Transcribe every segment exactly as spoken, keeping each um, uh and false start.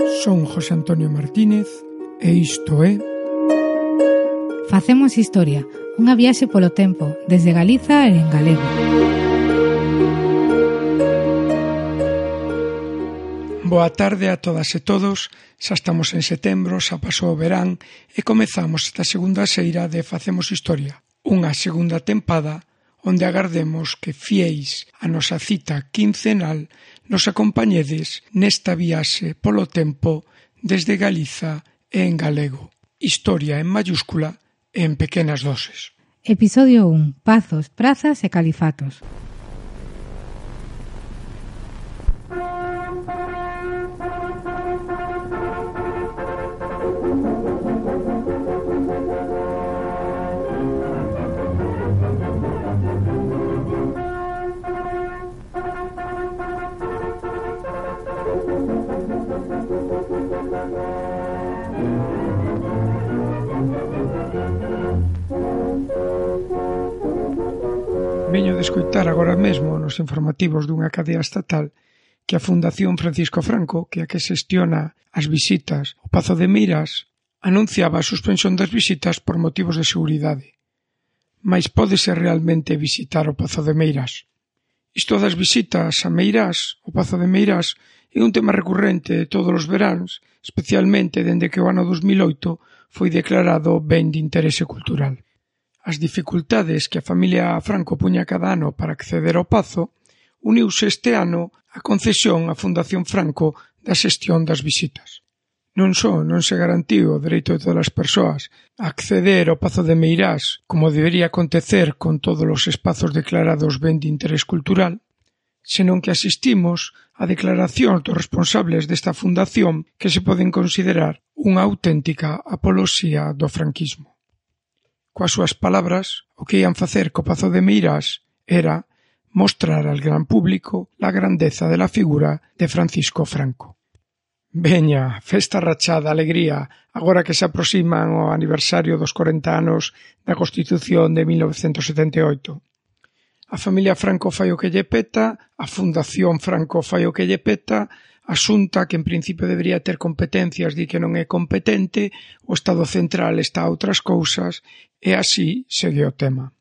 Son José Antonio Martínez e isto é Facemos Historia, unha viaxe polo tempo, desde Galiza e en galego. Boa tarde a todas e todos, xa estamos en setembro, xa pasou o verán e comezamos esta segunda xeira de Facemos Historia, unha segunda tempada onde agardemos que fiéis a nosa cita quincenal nos acompañedes nesta viaxe polo tempo desde Galiza e en galego. Historia en mayúscula e en pequenas doses. Episodio un. Pazos, prazas e califatos. Veño de escoitar agora mesmo nos informativos dunha cadea estatal que a Fundación Francisco Franco, que é a que xestiona as visitas ao Pazo de Meirás, anunciaba a suspensión das visitas por motivos de seguridade. Mais pódese realmente visitar o Pazo de Meirás? Isto das visitas a Meirás, o Pazo de Meirás, é un tema recurrente todos os veráns, especialmente dende que o ano dos mil oito foi declarado ben de interese cultural. As dificultades que a familia Franco puña cada ano para acceder ao Pazo, uniuse este ano a concesión á Fundación Franco da xestión das visitas. Non só non se garantiu o dereito de todas as persoas a acceder ao Pazo de Meirás como debería acontecer con todos os espazos declarados ben de interés cultural, senón que asistimos a declaracións dos responsables desta fundación que se poden considerar unha auténtica apoloxía do franquismo. Coas súas palabras, o que ian facer co Pazo de Meirás era mostrar al gran público la grandeza de la figura de Francisco Franco. Veña, festa rachada, alegría, agora que se aproximan o aniversario dos corenta anos da Constitución de mil novecentos setenta e oito. A familia Franco fai o que lle peta, a Fundación Franco fai o que lle peta, a Xunta, que en principio debería ter competencias, di que non é competente, o Estado Central está a outras cousas, e así segue o tema.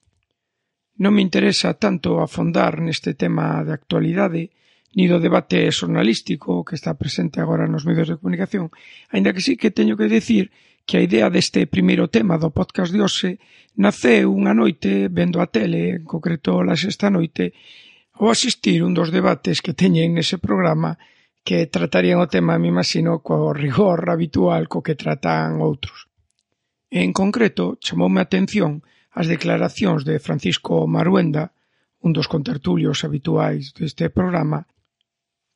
Non me interesa tanto afondar neste tema de actualidade, ni do debate xornalístico que está presente agora nos medios de comunicación, aínda que sí que teño que dicir que a idea deste primeiro tema do podcast de hoxe naceu unha noite vendo a tele, en concreto la sexta noite, ao asistir un dos debates que teñen nese programa que tratarían o tema, me imagino, co rigor habitual co que tratan outros. En concreto, chamoume a atención as declaracións de Francisco Maruenda, un dos contertulios habituais deste programa,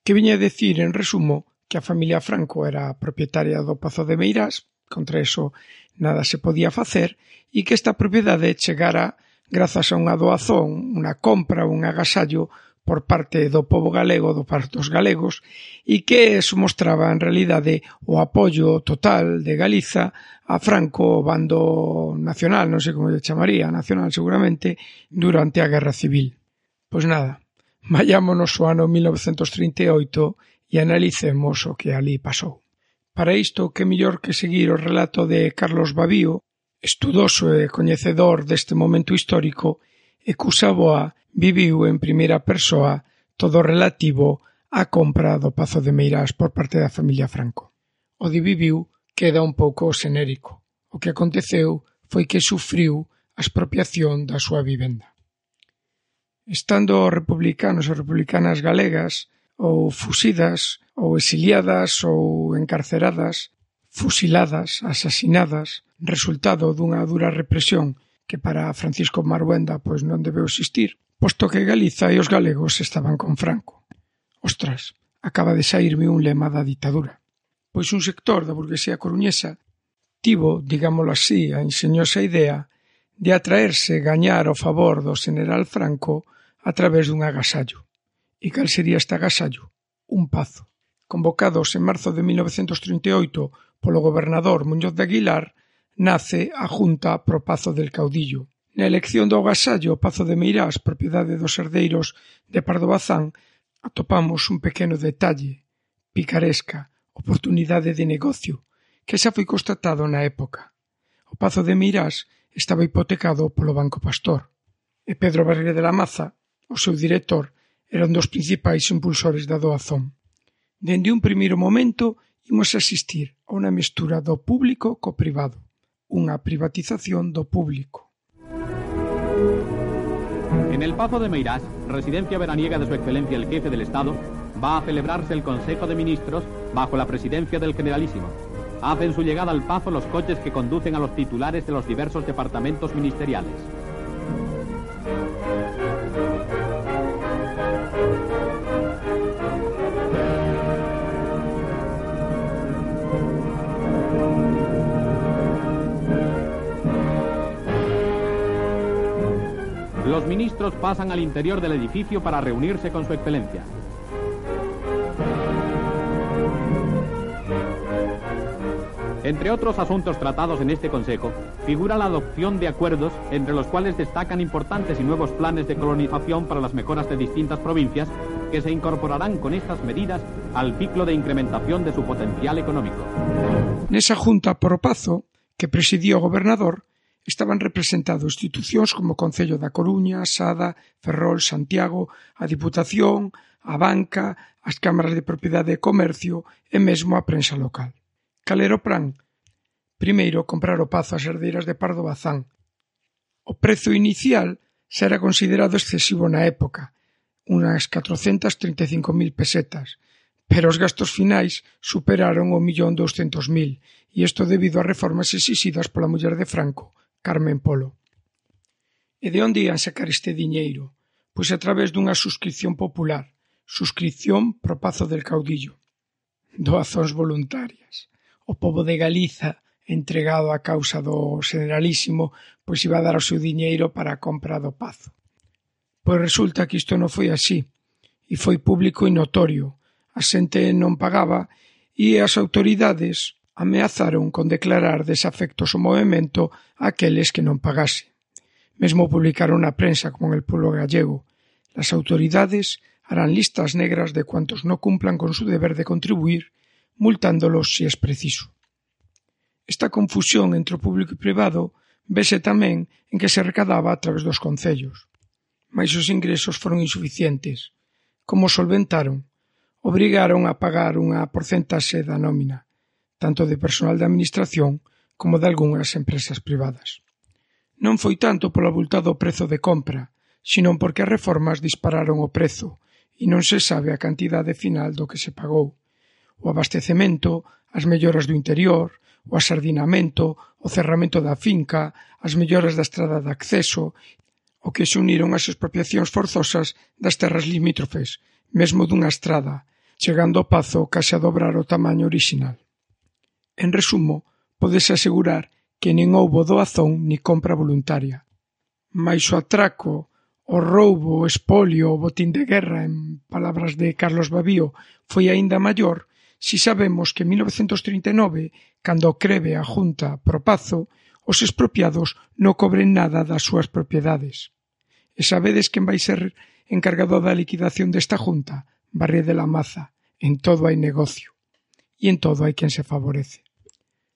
que viña a decir, en resumo, que a familia Franco era propietaria do Pazo de Meirás, contra eso nada se podía facer, e que esta propiedade chegara grazas a unha doazón, unha compra, un agasallo por parte do pobo galego, do parte dos galegos, e que eso mostraba en realidade o apoio total de Galiza a Franco, o bando nacional, non sei como lle chamaría, nacional seguramente, durante a Guerra Civil. Pois nada, vayámonos ao ano mil novecentos trinta e oito e analicemos o que ali pasou. Para isto, que mellor que seguir o relato de Carlos Babío, estudoso e coñecedor deste momento histórico, e cusa boa viviu en primeira persoa todo relativo á compra do Pazo de Meirás por parte da familia Franco. O de viviu queda un pouco xenérico. O que aconteceu foi que sufriu a expropiación da súa vivenda. Estando republicanos e republicanas galegas ou fusidas, ou exiliadas, ou encarceradas, fusiladas, asasinadas, resultado dunha dura represión que para Francisco Maruenda pois non debeu existir, posto que Galiza e os galegos estaban con Franco. Ostras, acaba de saírme un lema da ditadura. Pois un sector da burguesía coruñesa tivo, digámoslo así, a enxeñosa idea de atraerse gañar o favor do xeneral Franco a través dun agasallo. E cal sería este agasallo? Un pazo. Convocados en marzo de mil novecentos trinta e oito polo gobernador Muñoz de Aguilar, nace a Junta pro Pazo del Caudillo. Na elección do agasallo Pazo de Meirás, propiedade dos herdeiros de Pardo Bazán, atopamos un pequeno detalle, picaresca, oportunidade de negocio, que xa foi constatado na época. O Pazo de Meirás estaba hipotecado polo Banco Pastor, e Pedro Barriga de la Maza, o seu director, era un dos principais impulsores da doazón. Dende un primeiro momento, imos asistir a unha mestura do público co privado, unha privatización do público. En el Pazo de Meirás, residencia veraniega de su excelencia el jefe del Estado, va a celebrarse el Consejo de Ministros bajo la presidencia del Generalísimo. Hacen su llegada al Pazo los coches que conducen a los titulares de los diversos departamentos ministeriales. Los ministros pasan al interior del edificio para reunirse con su excelencia. Entre otros asuntos tratados en este Consejo, figura la adopción de acuerdos entre los cuales destacan importantes y nuevos planes de colonización para las mejoras de distintas provincias que se incorporarán con estas medidas al ciclo de incrementación de su potencial económico. Nesa junta por o Pazo, que presidía o gobernador, estaban representados institucións como o Concello da Coruña, Sada, Ferrol, Santiago, a Diputación, a Banca, as cámaras de propiedade e comercio e mesmo a prensa local. Cal era o plan? Primeiro, comprar o Pazo ás herdeiras de Pardo Bazán. O prezo inicial xa era considerado excesivo na época, unhas catrocentas trinta e cinco mil pesetas, pero os gastos finais superaron o millón douscentos mil, e isto debido ás reformas exixidas pola muller de Franco, Carmen Polo. E de onde ian sacar este diñeiro? Pois a través dunha suscripción popular, suscripción pro Pazo del Caudillo. Doazóns voluntarias. O pobo de Galiza, entregado á causa do Generalísimo, pois iba a dar o seu diñeiro para a compra do Pazo. Pois resulta que isto non foi así, e foi público e notorio. A xente non pagaba e as autoridades ameazaron con declarar desafectos ao movemento a aqueles que non pagase. Mesmo publicaron na prensa como en el pueblo gallego: las autoridades harán listas negras de cuantos no cumplan con su deber de contribuir, multándolos si es preciso. Esta confusión entre o público e privado vese tamén en que se recadaba a través dos concellos. Mais os ingresos foron insuficientes. Como solventaron? Obrigaron a pagar unha porcentaxe da nómina, tanto de personal da administración como de algunhas empresas privadas. Non foi tanto polo avultado prezo de compra, senón porque as reformas dispararon o prezo e non se sabe a cantidade final do que se pagou. O abastecemento, as melloras do interior, o asardinamento, o cerramento da finca, as melloras da estrada de acceso, o que se uniron as expropiacións forzosas das terras limítrofes, mesmo dunha estrada, chegando ao Pazo case a dobrar o tamaño orixinal. En resumo, pódese asegurar que nin houbo doazón ni compra voluntaria. Mais o atraco, o roubo, o espolio, o botín de guerra, en palabras de Carlos Babío, foi aínda maior si sabemos que en mil novecentos trinta e nove, cando crebe a Junta pro Pazo, os expropiados non cobren nada das súas propiedades. E sabedes quen vai ser encargado da liquidación desta Junta? Barriga de la Maza. En todo hai negocio. E en todo hai quen se favorece.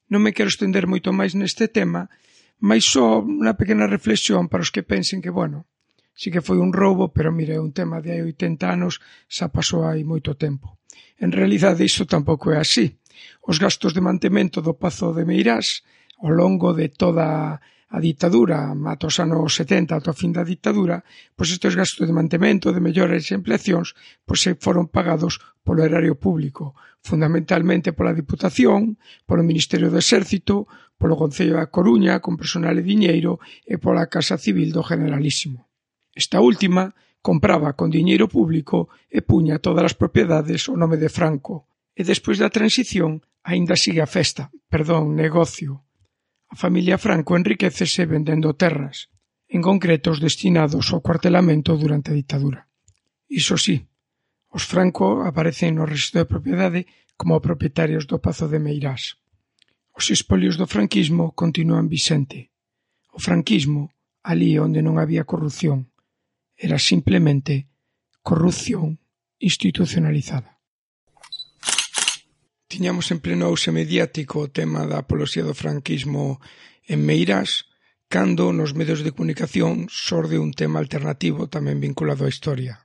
Non me quero estender moito máis neste tema, mais só unha pequena reflexión para os que pensen que, bueno, si que foi un roubo, pero mire, un tema de hai oitenta anos xa pasou hai moito tempo. En realidade, iso tampouco é así. Os gastos de mantemento do Pazo de Meirás ao longo de toda a ditadura, ata os anos setenta, ata o fin da ditadura, pois estes gastos de mantemento, de melloras e ampliacións, pois foron pagados polo erario público, fundamentalmente pola Diputación, polo Ministerio do Exército, polo Concello da Coruña, con personal e diñeiro, e pola Casa Civil do Generalísimo. Esta última compraba con diñeiro público e puña todas as propiedades ao nome de Franco. E despois da transición, aínda sigue a festa, perdón, negocio. A familia Franco enriquecese vendendo terras, en concreto os destinados ao cuartelamento durante a ditadura. Iso sí, os Franco aparecen no rexistro de propiedade como propietarios do Pazo de Meirás. Os espolios do franquismo continúan vixente. O franquismo, ali onde non había corrupción, era simplemente corrupción institucionalizada. Tiñamos en pleno auxe mediático o tema da apoloxía do franquismo en Meirás, cando nos medios de comunicación xorde un tema alternativo tamén vinculado á historia.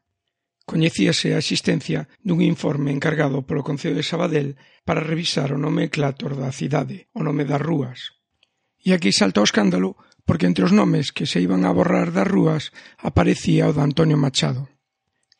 Coñecíase a existencia dun informe encargado polo Concello de Sabadell para revisar o nomenclátor da cidade, o nome das rúas. E aquí salta o escándalo porque entre os nomes que se iban a borrar das rúas aparecía o de Antonio Machado.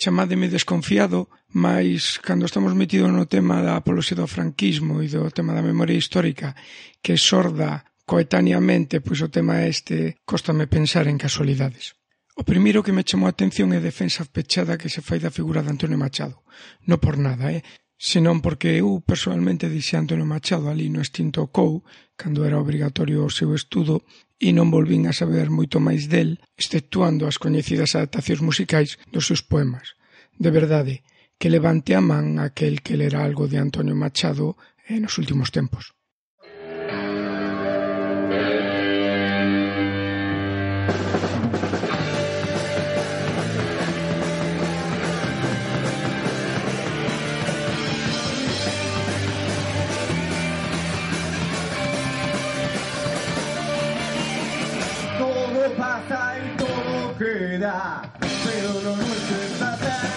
Chamádeme desconfiado, mas cando estamos metidos no tema da apoloxía do franquismo e do tema da memoria histórica que xorda coetáneamente, pois o tema este, cóstame pensar en casualidades. O primeiro que me chamou a atención é a defensa pechada que se fai da figura de Antonio Machado. Non por nada, eh? senón porque eu personalmente dixei Antonio Machado ali no extinto C O U, cando era obrigatorio o seu estudo, e non volvín a saber moito máis del, exceptuando as coñecidas adaptacións musicais dos seus poemas. De verdade, que levante a man aquel que lera algo de Antonio Machado eh, nos últimos tempos. Pasa y todo queda, pero lo nuestro es tratar,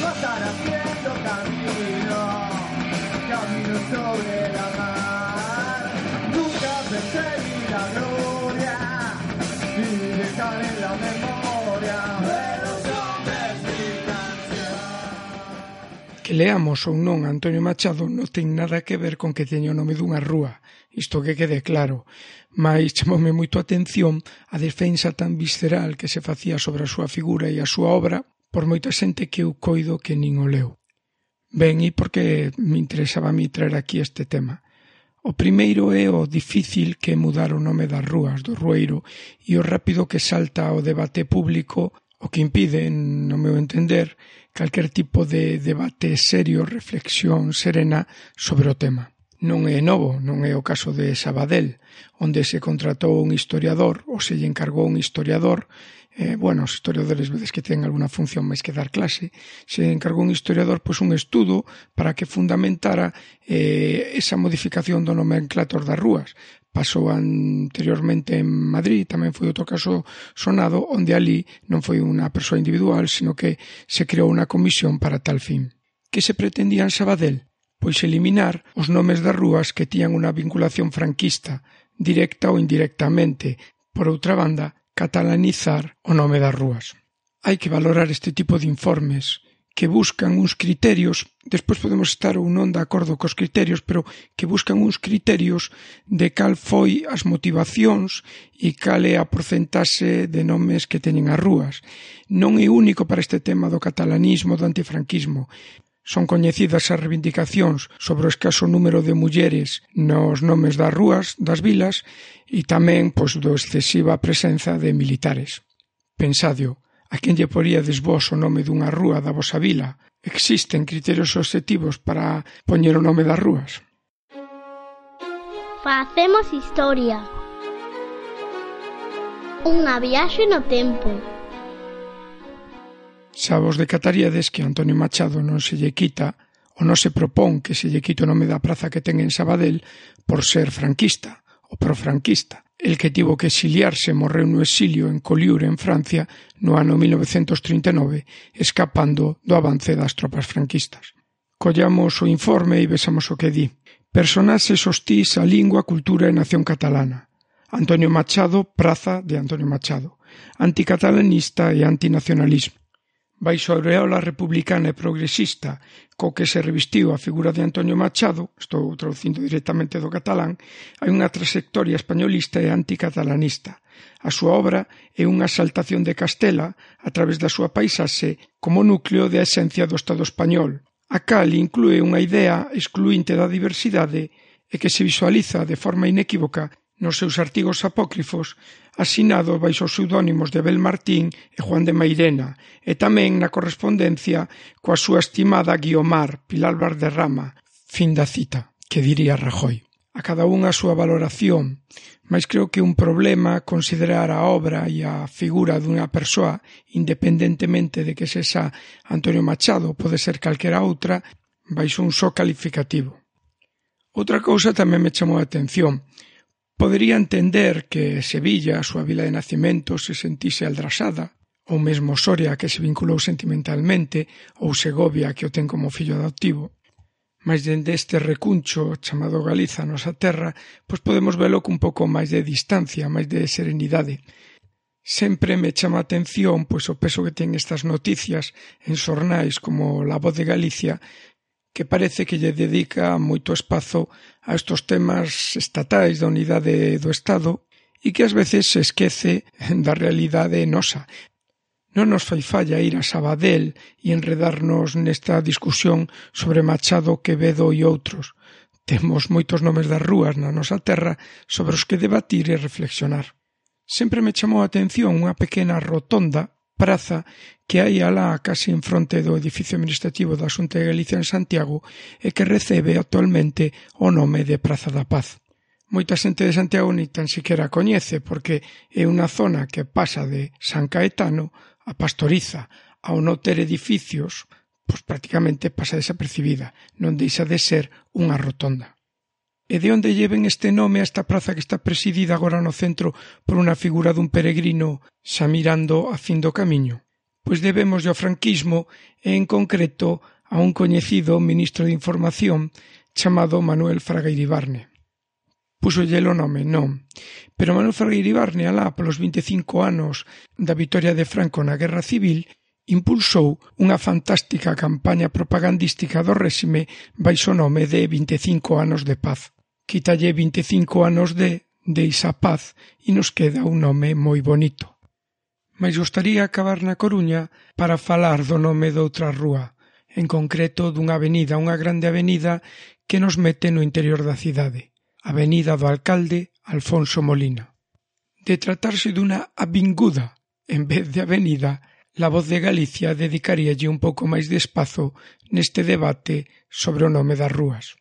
no estar haciendo camino, camino sobre la mar, nunca perseguir la gloria y dejar en la memoria de los hombres mi canción. Que leamos ou non Antonio Machado non ten nada que ver con que teña o nome dunha rúa, isto que quede claro, mais chamoume moito a atención a defensa tan visceral que se facía sobre a súa figura e a súa obra por moita xente que eu coido que nin o leu. Ben, e por que me interesaba a mí traer aquí este tema? O primeiro é o difícil que é mudar o nome das rúas, do rueiro, e o rápido que salta ao debate público, o que impide, no meu entender, calquer tipo de debate serio, reflexión serena sobre o tema. Non é novo, non é o caso de Sabadell, onde se contratou un historiador, ou se lle encargou un historiador, eh, bueno, os historiadores vedes que ten alguna función máis que dar clase, se encargou un historiador pois un estudo para que fundamentara eh, esa modificación do nomenclátor das rúas. Pasou anteriormente en Madrid, tamén foi outro caso sonado, onde ali non foi unha persoa individual, sino que se creou unha comisión para tal fin. Que se pretendía en Sabadell? Pois eliminar os nomes das rúas que tiñan unha vinculación franquista, directa ou indirectamente. Por outra banda, catalanizar o nome das rúas. Hai que valorar este tipo de informes que buscan uns criterios, despois podemos estar ou non de acordo cos criterios, pero que buscan uns criterios de cal foi as motivacións e cal é a porcentaxe de nomes que teñen as rúas. Non é único para este tema do catalanismo, do antifranquismo. Son coñecidas as reivindicacións sobre o escaso número de mulleres nos nomes das rúas, das vilas, e tamén pois, do excesiva presenza de militares. Pensadio, a quen lle poríades vos o nome dunha rúa da vosa vila? Existen criterios obxectivos para poñer o nome das rúas? Facemos historia. Unha viaxe no tempo. Xa vos decataríades que Antonio Machado non se lle quita ou non se propón que se lle quite o nome da praza que ten en Sabadell por ser franquista ou profranquista. El que tivo que exiliarse morreu no exilio en Collioure, en Francia, no ano mil novecentos trinta e nove, escapando do avance das tropas franquistas. Collamos o informe e vexamos o que di. Personaxes hostís á lingua, cultura e nación catalana. Antonio Machado, praza de Antonio Machado. Anticatalanista e antinacionalismo. Baixo a aureola republicana e progresista co que se revestiu a figura de Antonio Machado, estou traducindo directamente do catalán, hai unha trayectoria españolista e anticatalanista. A súa obra é unha exaltación de Castela a través da súa paisaxe como núcleo de esencia do Estado español. A cal inclúe unha idea excluinte da diversidade e que se visualiza de forma inequívoca nos seus artigos apócrifos, asinado baixo os pseudónimos de Abel Martín e Juan de Mairena, e tamén na correspondencia coa súa estimada Guiomar, Pilar Valderrama, fin da cita, que diría Rajoy. A cada unha a súa valoración, mas creo que un problema considerar a obra e a figura dunha persoa, independentemente de que sexa Antonio Machado, pode ser calquera outra, baixo un só calificativo. Outra cousa tamén me chamou a atención. Podería entender que Sevilla, a súa vila de nacemento, se sentise aldrasada, ou mesmo Soria, que se vinculou sentimentalmente, ou Segovia, que o ten como fillo adoptivo. Mas dende este recuncho chamado Galiza, a nosa terra, pois podemos velo cun pouco máis de distancia, máis de serenidade. Sempre me chama a atención pois o peso que ten estas noticias en xornais como La Voz de Galicia, que parece que lle dedica moito espazo a estos temas estatais da unidade do Estado e que ás veces se esquece da realidade nosa. Non nos fai falla ir a Sabadell e enredarnos nesta discusión sobre Machado, Quevedo e outros. Temos moitos nomes das rúas na nosa terra sobre os que debatir e reflexionar. Sempre me chamou a atención unha pequena rotonda, praza, que hai alá casi en fronte do edificio administrativo da Xunta de Galicia en Santiago e que recebe actualmente o nome de Praza da Paz. Moita xente de Santiago ni tan siquiera coñece porque é unha zona que pasa de San Caetano a Pastoriza, ao non ter edificios, pois prácticamente pasa desapercibida, non deixa de ser unha rotonda. E de onde lleven este nome a esta praza que está presidida agora no centro por unha figura dun peregrino xa mirando a fin do camiño? Pois debemos ao franquismo e en concreto a un coñecido ministro de Información chamado Manuel Fraga Iribarne. Púsolle o nome? Non. Pero Manuel Fraga Iribarne, alá polos vinte e cinco anos da vitoria de Franco na Guerra Civil, impulsou unha fantástica campaña propagandística do réxime baixo o nome de vinte e cinco anos de paz. Quítalle vinte e cinco anos de, deixa paz e nos queda un nome moi bonito. Mais gostaría acabar na Coruña para falar do nome doutra rúa, en concreto dunha avenida, unha grande avenida que nos mete no interior da cidade, Avenida do Alcalde Alfonso Molina. De tratarse dunha avinguda en vez de avenida, La Voz de Galicia dedicaríalle un pouco máis de espazo neste debate sobre o nome das rúas.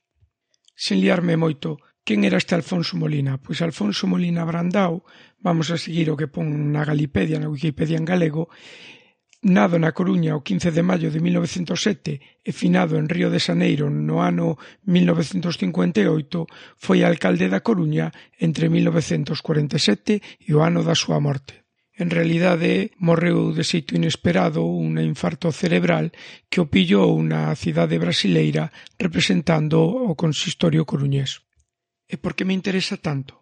Sen liarme moito, quen era este Alfonso Molina? Pois Alfonso Molina Brandao, vamos a seguir o que pon na Galipedia, na Wikipedia en galego, nado na Coruña o quince de maio de mil novecentos sete e finado en Río de Xaneiro no ano mil novecentos cincuenta e oito, foi alcalde da Coruña entre mil novecentos cuarenta e sete e o ano da súa morte. En realidade, morreu de xeito inesperado un infarto cerebral que o pillou na cidade brasileira representando o consistorio coruñés. E por que me interesa tanto?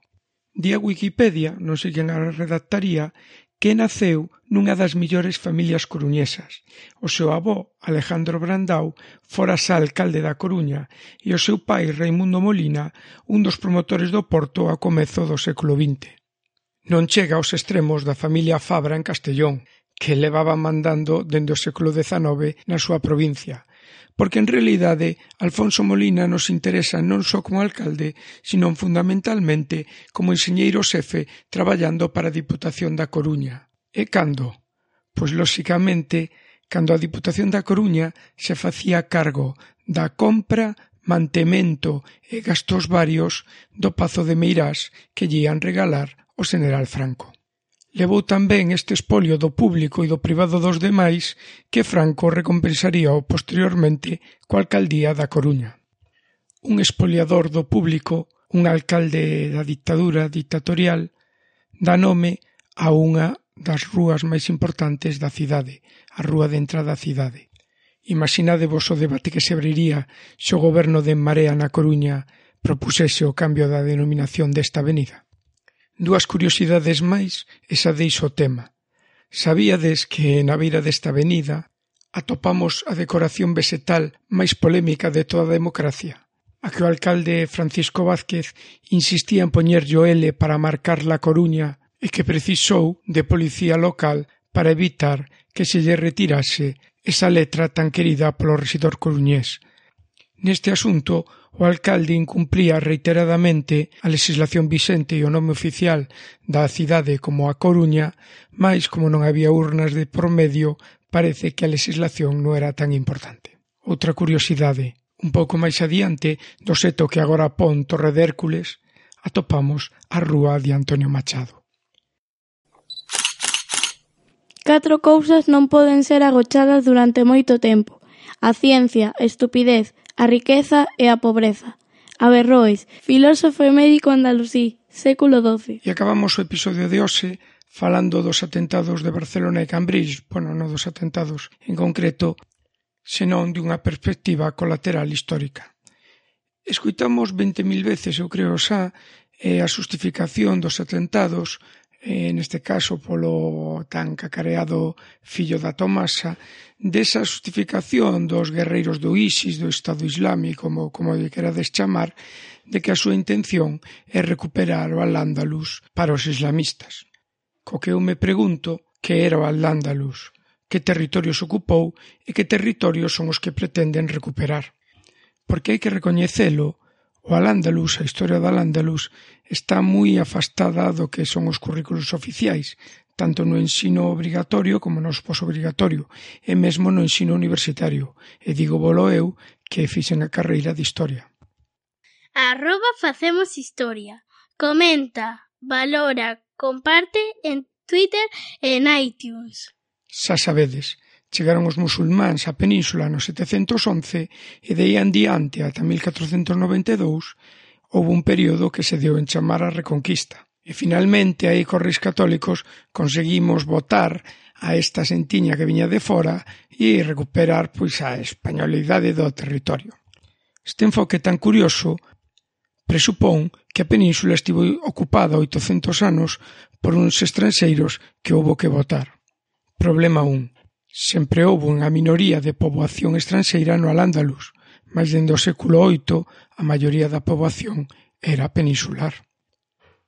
Di a Wikipedia, non sei quen a redactaría, que naceu nunha das millores familias coruñesas. O seu avó, Alejandro Brandao, fora xa alcalde da Coruña e o seu pai, Raimundo Molina, un dos promotores do porto a comezo do século vinte. Non chega aos extremos da familia Fabra en Castellón, que levaba mandando dende o século dezanove na súa provincia, porque en realidade Alfonso Molina nos interesa non só como alcalde, sino fundamentalmente como enxeñeiro xefe traballando para a Diputación da Coruña. E cando? Pois, lóxicamente, cando a Diputación da Coruña se facía cargo da compra, mantemento e gastos varios do Pazo de Meirás que lle ian regalar o xeneral Franco. Levou tamén este espolio do público e do privado dos demais que Franco recompensaría posteriormente coa alcaldía da Coruña. Un espoliador do público, un alcalde da dictadura dictatorial, dá nome a unha das rúas máis importantes da cidade, a rúa de entrada á cidade. Imaginadevos o debate que se abriría se o goberno de En Marea na Coruña propusese o cambio da denominación desta avenida. Dúas curiosidades máis e xa deixo o tema. Sabíades que na beira desta avenida atopamos a decoración vegetal máis polémica de toda a democracia? A que o alcalde Francisco Vázquez insistía en poñerlle o L para marcar La Coruña e que precisou de policía local para evitar que se lle retirase esa letra tan querida polo rexidor coruñés. Neste asunto, o alcalde incumplía reiteradamente a legislación vixente e o nome oficial da cidade como a Coruña, mais como non había urnas de por medio, parece que a legislación non era tan importante. Outra curiosidade, un pouco máis adiante, do seto que agora pon Torre de Hércules, atopamos a rúa de Antonio Machado. Catro cousas non poden ser agochadas durante moito tempo: a ciencia, a estupidez, a riqueza e a pobreza. Averroes, filósofo e médico andalusí, século doce. E acabamos o episodio de hoxe falando dos atentados de Barcelona e Cambridge, bueno, non dos atentados en concreto, senón dunha perspectiva colateral histórica. Escuitamos vinte mil veces, eu creo xa, a justificación dos atentados, neste caso polo tan cacareado fillo da Tomasa, desa justificación dos guerreiros do ISIS, do Estado Islámico, como, como lle querades chamar, de que a súa intención é recuperar o Al-Ándalus para os islamistas. Co que eu me pregunto que era o Al-Ándalus, que territorios ocupou e que territorios son os que pretenden recuperar. Porque hai que recoñecelo, o Al-Ándalus, a historia do Al-Ándalus, está moi afastada do que son os currículos oficiais, tanto no ensino obrigatorio como no posobrigatorio, e mesmo no ensino universitario. E digo volo eu que fixen a carreira de Historia. Arroba Facemos Historia. Comenta, valora, comparte en Twitter e en iTunes. Xa sabedes, chegaron os musulmáns á península no setecentos once e de aí en diante ata mil catrocentos noventa e dous houve un período que se deu en chamar a Reconquista. E finalmente aí cos reis católicos conseguimos botar a esta sentiña que viña de fora e recuperar pois a españolidade do territorio. Este enfoque tan curioso presupón que a península estivo ocupada oitocentos anos por uns estranxeiros que houbo que botar. Problema un. Sempre houve unha minoría de poboación estranxeira no Al-Ándalus, mas dende o século oito a maioría da poboación era peninsular.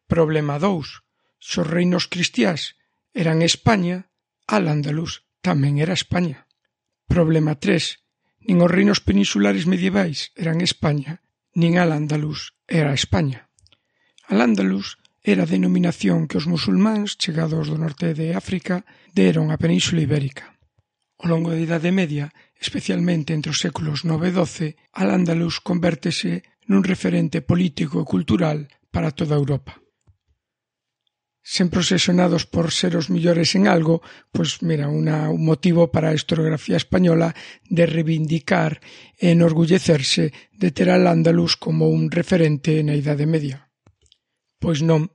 Problema dous. Se os reinos cristiás eran España, Al-Ándalus tamén era España. Problema tres. Nin os reinos peninsulares medievais eran España, nin Al-Ándalus era España. Al-Ándalus era a denominación que os musulmáns, chegados do norte de África, deron á Península Ibérica. Ao longo da Idade Media, especialmente entre os séculos nove e doce, Al-Ándalus convértese nun referente político e cultural para toda Europa. Sempre obsesionados por ser os millores en algo, pois mira, una, un motivo para a historiografía española de reivindicar e enorgullecerse de ter Al-Ándalus como un referente na Idade Media. Pois non,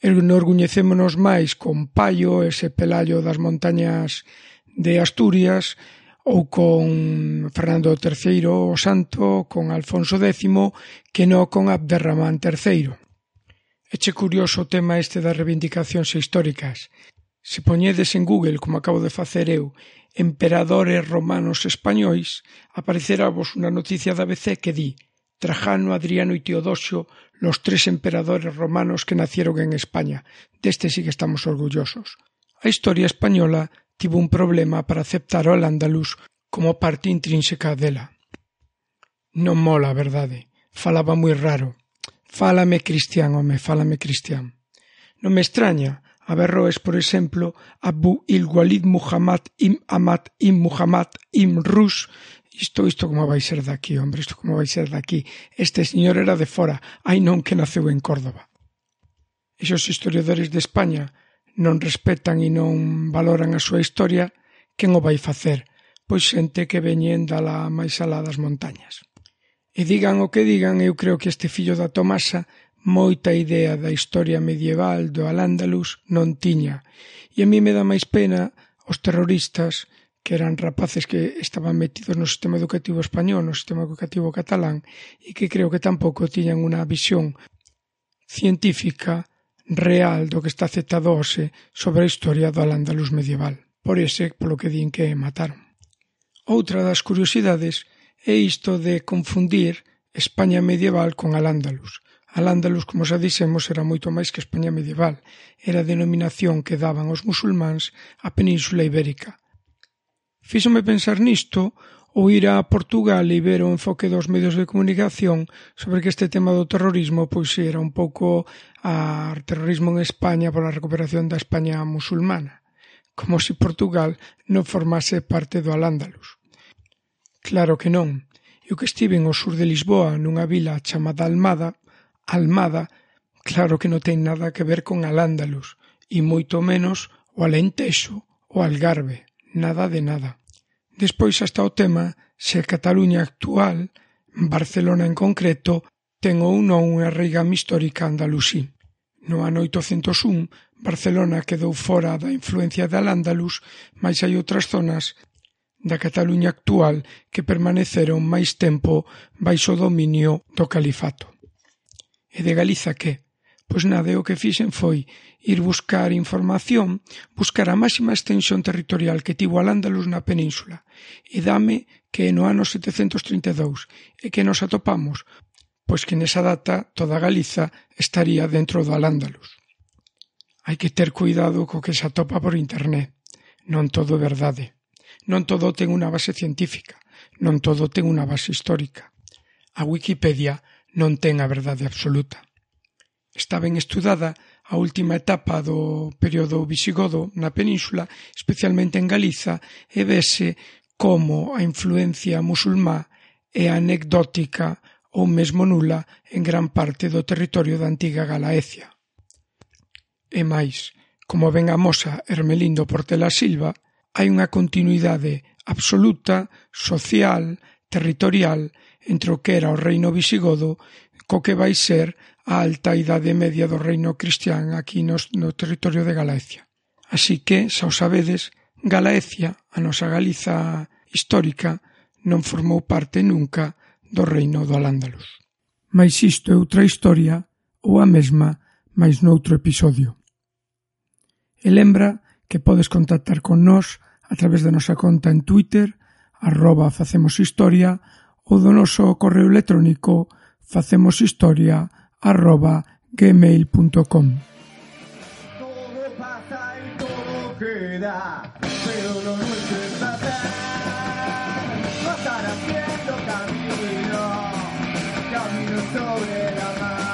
enorgullecémonos máis con Paio, ese pelallo das montañas de Asturias, ou con Fernando terceiro o Santo, con Alfonso décimo, que non con Abderramán terceiro. Eche curioso o tema este das reivindicacións históricas. Se poñedes en Google, como acabo de facer eu, emperadores romanos españois, aparecerá vos unha noticia da A B C que di Trajano, Adriano e Teodosio, los tres emperadores romanos que nacieron en España. Deste sí que estamos orgullosos. A historia española tivo un problema para aceptar o Al-Ándalus como parte intrínseca dela. Non mola, a verdade. Falaba moi raro. Fálame cristián, home, fálame cristián. Non me extraña. Averroes, por exemplo, Abu il-Walid Muhammad im Ahmad im Muhammad im Rus. Isto, isto como vai ser daqui, hombre, isto como vai ser daqui. Este señor era de fora, ai non que naceu en Córdoba. Esos historiadores de España non respetan e non valoran a súa historia, quen o vai facer? Pois xente que veñen da la máis alá das montañas. E digan o que digan, eu creo que este fillo da Tomasa moita idea da historia medieval do Al-Ándalus non tiña. E a mí me dá máis pena os terroristas, que eran rapaces que estaban metidos no sistema educativo español, no sistema educativo catalán, e que creo que tampouco tiñan unha visión científica real do que está aceptado hoxe sobre a historia do Al-Ándalus medieval. Por ese, polo que din que mataron. Outra das curiosidades é isto de confundir España medieval con Al-Ándalus. Al-Ándalus, como xa dixemos, era moito máis que España medieval. Era a denominación que daban os musulmáns á Península Ibérica. Fíxome pensar nisto ou ir a Portugal e ver o enfoque dos medios de comunicación sobre que este tema do terrorismo pois era un pouco a terrorismo en España pola recuperación da España musulmana, como se Portugal non formase parte do Al-Ándalus. Claro que non. Eu que estive ao sur de Lisboa nunha vila chamada Almada, Almada, claro que non ten nada que ver con Al-Ándalus, e moito menos o Alentexo, o Algarve, nada de nada. Despois hasta o tema se a Cataluña actual Barcelona en concreto ten ou non unha reigame histórica andalusí. No ano oitocentos un, Barcelona quedou fora da influencia de Al-Ándalus, mais hai outras zonas da Cataluña actual que permaneceron máis tempo baixo o dominio do califato. E de Galiza que? Pois nada, o que fixen foi ir buscar información, buscar a máxima extensión territorial que tivo Al-Ándalus na península, e dame que no ano setecentos trinta e dous, e que nos atopamos, pois que nesa data toda Galiza estaría dentro do Al-Ándalus. Hai que ter cuidado co que se atopa por internet. Non todo é verdade. Non todo ten unha base científica. Non todo ten unha base histórica. A Wikipedia non ten a verdade absoluta. Está ben estudada a última etapa do período visigodo na península, especialmente en Galiza, e vese como a influencia musulmá é anecdótica ou mesmo nula en gran parte do territorio da antiga Galaecia. E máis, como ben amosa Hermelindo Portela Silva, hai unha continuidade absoluta, social, territorial, entre o que era o reino visigodo co que vai ser a alta idade media do reino cristián aquí no, no territorio de Galaecia. Así que, xa o sabedes, Galaecia, a nosa Galiza histórica, non formou parte nunca do reino do Al-Ándalus. Mais isto é outra historia ou a mesma, mais noutro episodio. E lembra que podes contactar con nós a través da nosa conta en Twitter, arroba facemoshistoria, ou do noso correo electrónico facemoshistoria arroba gmail punto com. Todo pasa y todo queda, pero lo nuestro es pasar. Pasar haciendo camino, camino sobre la mar.